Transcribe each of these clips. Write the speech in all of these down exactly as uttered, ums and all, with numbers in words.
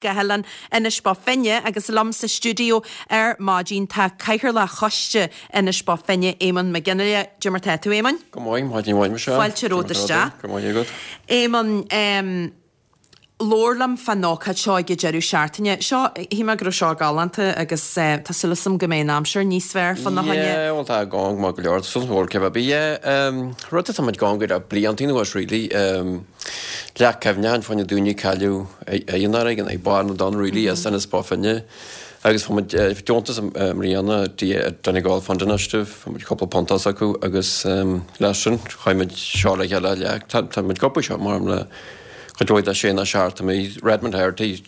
Go hoileán Inis Bó Finne agus liom sa stiúideo ar maidin tá Cathaoirleach Choiste Inis Bó Finne Éamonn Mac Fhionnghaile. Cad é mar tá tú Éamonn? Go maith maidin mhaith Michelle. Fáilte romhat isteach. Go maith agat. Éamonn um, labhair liom fán ócáid seo ag an deireadh seachtaine. Seo shíl mé go raibh seo galánta agus uh, tá súil agam go mbeidh an aimsir níos fearr fána choinne. Yeah, well tá gang maith go leor sus mhór ce bí um, rud atá muid gang go blianta anuas really um, leac cuimhneacháin fá na daoine cailleadh ar an fharraige ag barr na dtonn really as Inis Bó Finne. Agus tá muid deontas i mbliana Donegal Fund Initiative, tá muid cúpla punt as acu agus um, leis sin chuir muid seo le chéile leac tá muid gopa seo mar le chuid mhaith de sé na seacht mí Redmond Heritage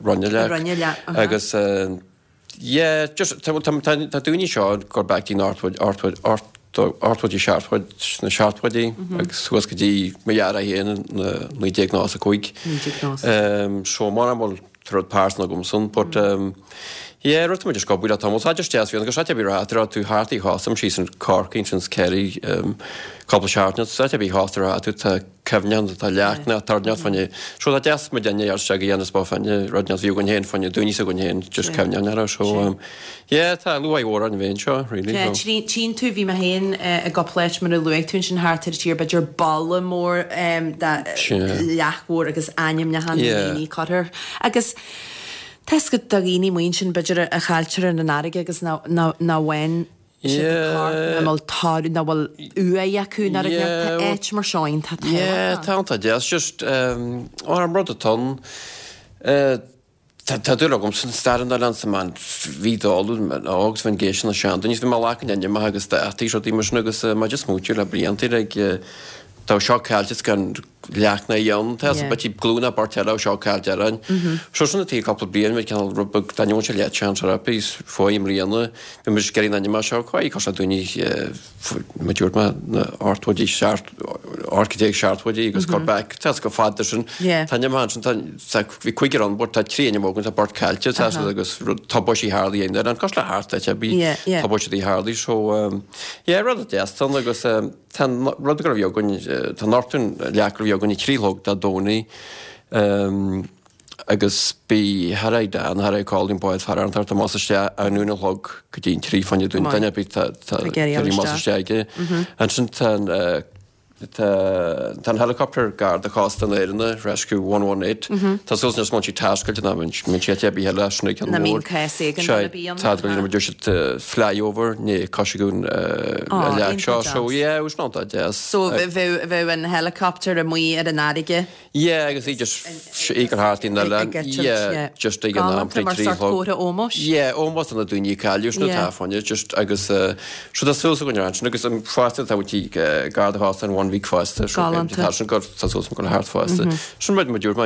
rinne leac. Rinne leac, aha. Agus uh, yeah, just tá tá tá tá daoine seo gur back dtí ochtó ochtó seachtóidí na seachtóidí agus suas go dtí mo dheartháir féin na naoi déag náid a cúig. Um, so mar an bhfuil rud pearsanta agam san, but um, yeah, rud muid go bhfuil tá tá just deas agus sé bí rá tú thart í chásam sí an Corcaigh sin Kerry um, cúpla seachtain sa bhí hásta tú tá cuimhneachán tá leac na tarneat fanne so tá deas mu denne ar se dhéanamh bá fanne rud bhí an héin fanne dúní a gon héin just cuimhneachán ar so um, yeah, tá luaigh mhór an bhéin seo really. so. Tchíonn tú bhí mé féin i gcúpla áit mar a luaigh tú sin thart ar tír b'fhéidir balla mór um, de Sin. leac mhór agus ainmneacha na Yeah. daoine curtha. Agus Tá go daoine muin sin b'fhéidir a chailltear an fharraige agus ná ná bhain Yeah. bhfuil tar na bhfuil uaigh acu na Yeah, well- áit mar seoin tá Yeah, tá tá deas just um, ar an rud atá uh, Tá tá dúil agam san stair an oileáin sa man bhí dáú agus bhín géis na sean, níos bhí mar lean an agus dátaí seo mar sin agus uh, má just smaointiú le blianta ag tá seo caillte gan leac na dhéan tá Yeah. be glúna bartella seo caillte an. So sin tí cúpla bliain me ceann rud daon se le sean rapís fáim bliana, bhí mu sceí anima seo chuí cos daoine ma dúirt me na ochtóidí ocht déag seachtóidí agus go back tá go fada sin Yeah. Tá man sin bhí chuigur an bord tá trí mógan tá bord caillte tá agus tá sí Harley ein an cos le hart bhí Yeah, yeah. tá sí Harley so um, yeah, rud deas agus um, tá rud go bhí againn tá Norton leac go bhí againn i trí chlog Dé Domhnaigh um, agus bí Harry Dan Harry Colin báid fear an tar más te an núna log go dtí trí fanne dún Maith. duine bí tá Tá más teige an sin tan tá an helicopter Garda Cósta na hÉireann Rescue one one eight Tá sus na sí tascailte na min sé bí heile sna Na mín cás éigin na bíonn. Tá go dúir flyover ní cosgún Á, leac seo iontach so deas. yeah, us ná deas. So bheith an helicopter amuigh ar an fharraige. Yeah, agus í just égur hátín na Ag- le ag eitilt, yeah. just ag an am Galánta mar sort comhartha ómóis. Yeah, ómós na daoine cailleadh na Yeah. táfanne just agus uh, so tá súil againn an agus an fásta tá tí Garda Cósta an one week fásta Galánta. tá sin go tá súil go thart fásta. Sin rud mu dúirt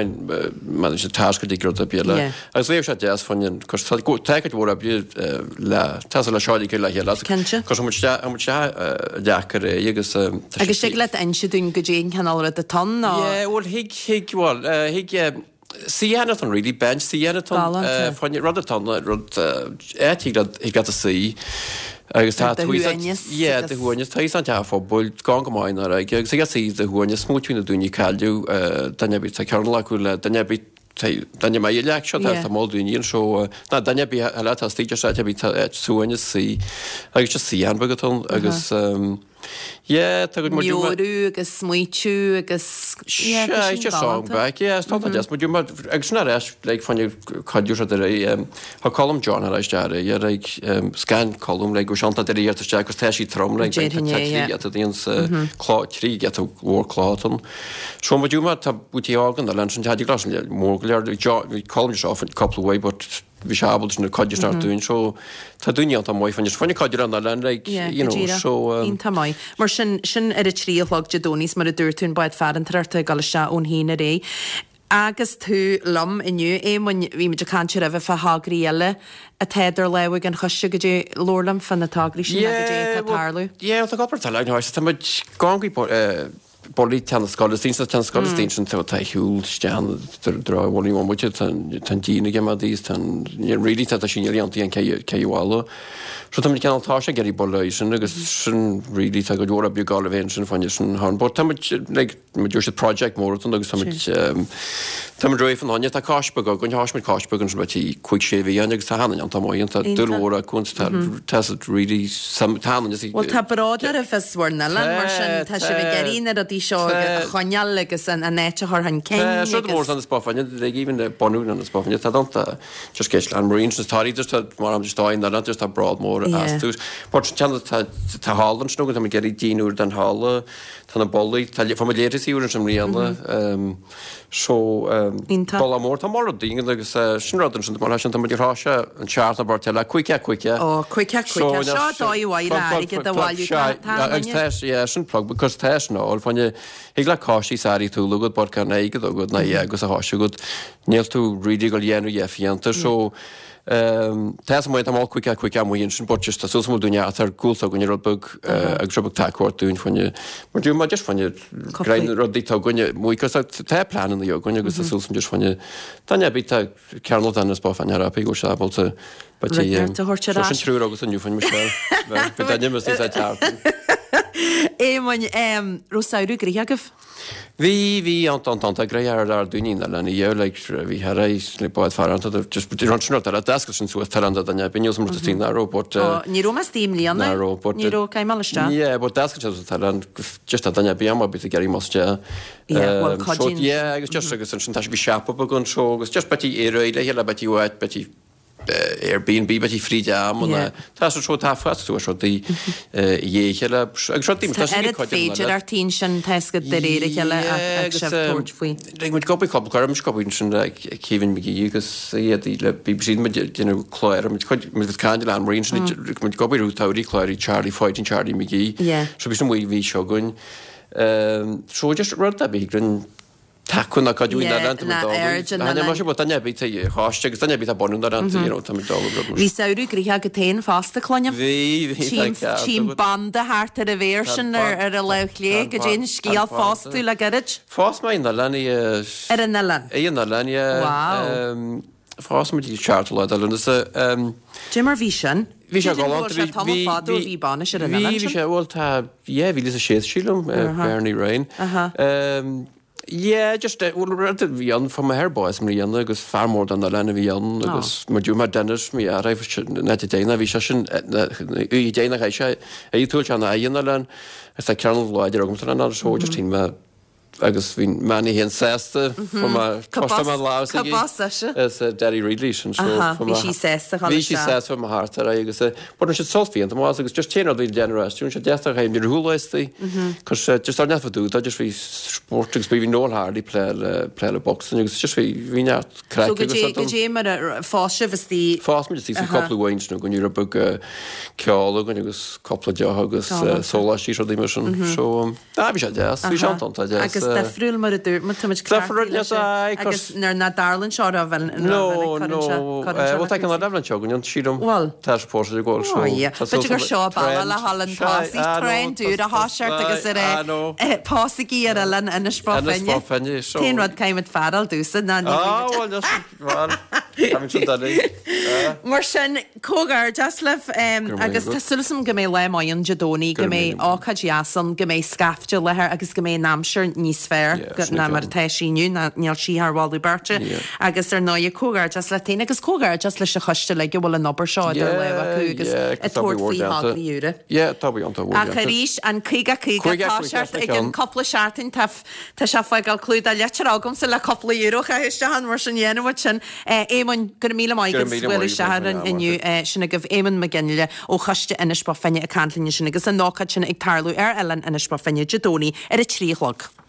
man sé tasca dí rud a bí le. Yeah. Agus bhí sé deas fanne cos tá mhór a bí le tá le seáí le chéile. Cinnte. Cos deacair é agus um, tá Agus sé- sé le inse dúinn go dtí an cineál rud atá ná Yeah, well thig thig well uh, thig um, suíochán really bench suíochán Galánta. fanne rud atá rud é thig thig a suí agus tá Do shuaimhneas Yeah, agus- do shuaimhneas tá an te phobal gan go maith ar agus ag suí do shuaimhneas smaointiú na daoine cailleadh duine bí tá cearn acu le duine bí duine mé leac seo Yeah. tá mó daoine an seo ná duine bí le tá stíide se bí suaimhneas suí agus just suíochán beag atá agus um, yeah, tá go Meabhrú agus smaointiú agus Yeah, tá Se sin just song galánta. back yeah stop mm -hmm. mu agus sin éis le fanne caiú se ré Tá Colm John ar éis dear like scan Colm le go seanta de réir te agus tá sí trom le Déarfainn é, yeah. trí clá trí get mhór clátan. So mu dúma tá bútí ágan a lein sin glas mór leir Colm seo couple way but bhí sé ábalta na cuid nar dún so tá daoine an tá maith fan fanne cuid an lein like Yeah, you know go díreach. so um, Iontach maith. Mar sin sin ar a trí a chlog Dé Domhnaigh mar a dúirt tú an bád farantóireachta ag dul isteach ón haon ar aghaidh. Agus tú liom inniu Éamoinn bhí muid ag caint roimhe fá thograí eile atá idir lámha ag an choiste go dtí labhair liom fá na tograí sin go dtí atá tarlú. Yeah, tá gopar tá tá muid gangaí Ballaí teann na scoile istigh sa teann scoile istigh sin tá shiúl isteach drá bhfuil muid tá an díon ag imeacht is tá really tá sin dhéanta an cé bhalla. So tá ceann tá sé ag iarraidh buille sin agus sin really tá go leor oibre ag gabháil a bheith ansin fáinne sin thar but tá muid like muid dúirt siad project mór ann agus tá muid tá muid réidh fan tá cois beag againn tá muid cois beag ansin bheith cúig sé mhí ann agus tá hana an tá maith tá dúil mhór acu tá tá siad really tá hana Well tá bród oraibh as bhur n-oileán mar sin tá sibh ag iarraidh na rudaí seo a choinneáil agus an an áit a chur chun cinn Tá seo mór san spáinne like even bunú an spáinne tá danta just ceist an Marine sin tá just tá mar am just tá in just tá bród mór astu. But tá tá tá hall ansin agus tá muid ag iarraidh díon úr den halla tá na ballaí tá fa muid léirthe úr an mbliana so balla mór tá mór daoine agus sin rud ansin mar sin tá muid ag rá sé an seacht na bport eile cúig cúig Ó cúig cúig seo dóigh mhaith le airgead a bhailiú agus tá yeah sin plug because tá sin ál fáinne thig le cáistí sáirí tú agat but gan airgead agat ná agus a tháis agat níl tú really ag gabháil a dhéanamh fiánta so Tá a fhios agam cúig cúig amuigh ansin but just tá súil agam dúinne atá gúlta againne rud beag agus rud beag tacaíocht dúinn fáinne mar dúinn mar just fáinne grein rudaí tá againne muid cos tá pleananna againne agus tá súil agam just fáinne tá ne bith tá cearnal den is bá fáinne ar apaí go sé ábalta but Rud ar a thabhairt ar sin triúr agus inniu fáinne Michelle bhí duine mis é ceart. Éamoinn raibh samhradh gnoitheach agaibh? Bhí bhí an an an gré ar ar daoine na lena dhéh like bhí thar éis le bád fear just run sin ar deasca sin suas tar an duine bíonn mar tí ná raibh but Ní raibh mé istigh i mbliana ná raibh but Ní raibh caithfidh mé isteach. Yeah but deasca sin tar an just a duine bí am bit ag iarraidh más de Yeah well cuidíonn yeah agus just agus ansin tá sé bhí siopa beag anseo agus just betí éirí le chéile betí uait betí Airbnb betí fríd am an tá sa seo tá fast tú seo dí dhéchéile agus seo Tá oiread féidearthachtaí ansin tá de réir a chéile ag sibh tabhairt faoi. Like muid ag obair cúpla cuir muid ag obair ansin le Kevin McGee agus iad le BBC muid déanamh clár muid cuid muid caint le Anne-Marie ansin muid ag obair útáirí cláirí Charlie Fighting Charlie McGee. So bhí sin bhí bhí seo againn. So just rud a bhí grinn tacú na cuidiú na lanta na aird na lanta. Mar duine ar bith a choiste agus duine ar bith a bunú na lanta you know tá muid dul rud mar. Bhí samhradh gnoitheach agat féin fosta cluinim. Bhí bhí Tchím tchím banda thart ar an bhféar sin ar ar a lámh chlé go dtéann scéal phós tú le gairid. Phós mé in oileán í Ar an oileán. Ar an oileán yeah. Wow. Phós muid i seacht lá de Lúnasa. Cé mar bhí sin? Bhí sé galánta. Bhí sé tamall fada ó bhí bainis ar an oileán Bhí sin. bhí sé bhuel tá yeah bhí a sé sílim Bernie Ryan. Yeah just bhuel rud a bhí ann fuair m'athair bás i mbliana agus fear mór den oileán a bhí ann agus mar dúirt mé Dennis mo dheartháir na te déanamh bhí sé sin í déanamh chaith sé é túil sé na aghaidh an oileáin agus tá ceangal láidir agamsa leis an oileán so just shín mé agus bhí Manny féin sásta fuair mé costar mé lámh Cá bás ise? Is Daddy Ridley sin so Aha, bhí sí sásta Bhí sí sásta fuair mé thart ar aghaidh agus but an siad sult bhí an t-am agus just téann rud bhí déanamh as sé deas a chaim ar shúil cos just ar neamh dúda just bhí spórt agus bhí Noel Hardy plé le plé le boxing agus just bhí bhí neart craic So go agus dé rud go ann. dé mar a phós sibh istigh Phós muid istigh cúpla uain nó go raibh beag ceol againn agus cúpla deoch agus Galánta. sóláistí rudaí mar sin. So um, ah, bhí sé deas, bhí sé an-iontach deas. Agus difriúil mar a dúirt muid, tá muid Difriúil, ceartaithe leis yes, aye, agus cos- nuair nach dtarlaíonn seo roimh an No, no, bhuel tá an leibhéal seo againn, sílim. Bhuel. Tá sé pósta ag gabháil, so Oh, yeah. tá B'fhéidir gur suas seo trend. bealach le haghaidh an Sea, pósaí, ah, no, trend úr a thoiseacht agus ar ah, no. pósaigí ar oileán Inis Bó Inis Finne. Bó Finne, so- T-aon rud caithfidh muid fearáil dúsa ná ní Ah, bhfuil muid- bhuel, yes, bhuel, tá muid sin doiligh. Ah. Mar sin, comhghairdeas libh um, Go raibh maith agus agat. tá súil agam go mbeidh lá maith ann Dé Domhnaigh, go Go raibh mbeidh míle maith. ócáid dheas ann, go mbeidh scaifte i láthair agus go mbeidh an aimsir níos fearr Yeah, go- sin ná é mar ceann. atá sí inniu, ná níl sí thar mholadh beirte. Yeah. Agus ar ndóigh comhghairdeas leat féin agus comhghairdeas leis an choiste uilig a bhfuil an obair seo idir lámha acu agus yeah, ag tabhairt faoi thograí úra. Yeah, tá bí iontach mhór Ach déanta. arís an caoga caoga Caoga tá caoga seart sa ag an cheann. cúpla seachtain tá f- tá sé fágáil clúdach litir agamsa le cúpla euro a chaitheamh isteach ann mar sin dhéanamh muid sin. Eh, Éamonn, go raibh míle maith Go raibh agat míle bhfuil maith isteach agat, an- inniu, eh, sin agaibh Éamonn Mac Fhionnghaile ó Choiste Inis Bó Finne ag caint linn sin agus an ócáid sin ag tarlú ar oileán Inis Bó Finne Dé Domhnaigh ar a trí a chlog.